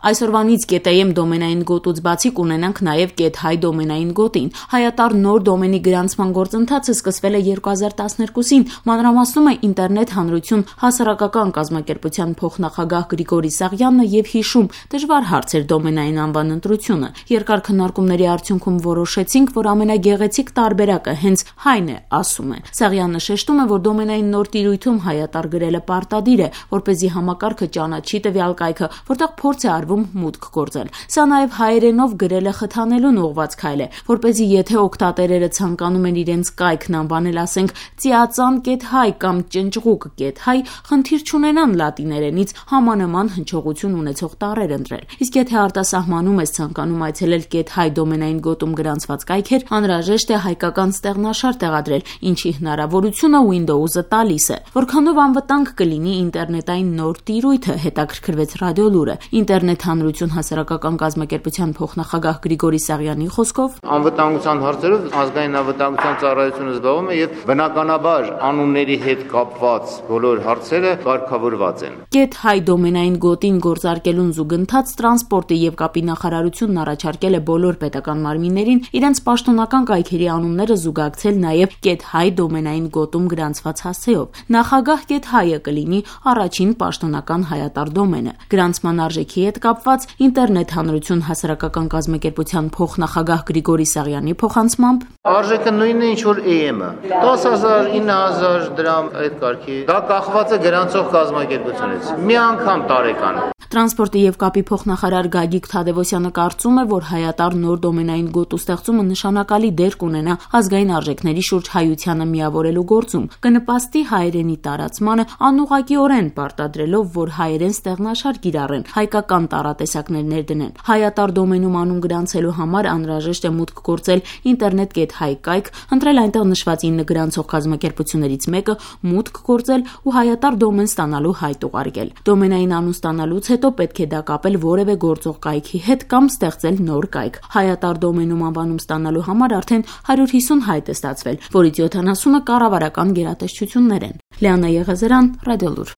Այսօրվանից .am դոմենային գոտուց բացի կունենանք նաև .hi դոմենային գոտին։ Հայատառ նոր դոմենի գրանցման գործընթացը սկսվել է 2012-ին, մանրամասնում է ինտերնետ հանրություն հասարակական կազմակերպության փոխնախագահ Գրիգորի Սաղյանն եւ հիշում, դժվար հարց էր դոմենային անվան ընտրությունը։ Երկար քննարկումների արդյունքում որոշեցինք, որ ամենագեղեցիկ տարբերակը հենց Hi-ն է, ասում է։ Սաղյանը շեշտում է, որ դոմենային նոր տիրույթում հայատառ գրելը պարտադիր է, որպեսզի համակարգը ճանաչի տվյալ կայքը, որտեղ փորձ է արվում մուտք գործել։ Սա նաև հայերենով գրելը խթանելուն ուղղված քայլ է, որպեսզի եթե օգտատերերը ցանկանում են իրենց կայքն անվանել, ասենք ծիածան .hi կամ ճնճղուկ .hi, խնդիր չունենան լատիներենից համանման հնչողություն ունեցող տառեր ընտրել։ Իսկ եթե արտասահմանում ես ցանկանում այցելել .hi դոմենային գոտում գրանցված կայքեր, անհրաժեշտ է հայկական ստեղնաշար տեղադրել, ինչի հնարավորությունը Windows-ը տալիս է։ Որքանով անվտանգ կլինի ինտերնետային նոր տիրույթը, հետաքրքրվեց Ռադիոլուրը։ Ինտերնետ հանրություն հասարակական կազմակերպության փոխնախագահ Գրիգորի Սաղյանի խոսքով անվտանգության հարցերով ազգային անվտանգության ծառայությունը զբաղվում է եւ բնականաբար անունների հետ կապված բոլոր հարցերը կարգավորված են։ .hi դոմենային գոտին գործարկելուն զուգընթաց տրանսպորտի եւ կապի նախարարությունն առաջարկել է բոլոր պետական մարմիններին իրենց պաշտոնական կայքերի անունները զուգակցել նաեւ .hi դոմենային գոտում գրանցված հասցեով։ Նախագահ .hi-ը կլինի առաջին պաշտոնական հայատառ դոմենը։ Գրանցման արժեքի հետ կապված ինտերնետ հանրություն հասարակական կազմակերպության փոխնախագահ Գրիգորի Սաղյանի փոխանցմամբ արժեքը նույնն է ինչ որ AM-ը 10,000 9,000 դրամ այդ կարգի դա կախված է գրանցող կազմակերպությունից մի անգամ տարեկան։ Տրանսպորտի եւ կապի փոխնախարար Գագիկ Թադևոսյանը կարծում է, որ հայատառ նոր դոմենային գոտու ստեղծումը նշանակալի դեր կունենա ազգային արժեքների շուրջ հայությանը միավորելու գործում, կնպաստի հայերենի տարածմանը անուղղակիորեն պարտադրելով, որ հայերեն ստեղնաշար կիրառեն, հայկական տառատեսակներ ներդնեն։ Հայատառ դոմենում անուն գրանցելու համար անհրաժեշտ է մուտք գործել ինտերնետ .hi կայք, ընտրել այնտեղ նշված 9 գրանցող կազմակերպություններից մեկը, մուտք գործել ու հայատառ դոմեն ստանալու հայտ ուղարկել։ Դոմենային անուն ստանալուց հետո պետք է դա կապել որևէ գործող կայքի հետ կամ ստեղծել նոր կայք։ Հայատառ դոմենում անվանում ստանալու համար արդեն 150 հայտ է ստացվել, որից 70-ը կառավարական գերատեսչություններ են։ Լիանա Եղեզարյան, Ռադիոլուր։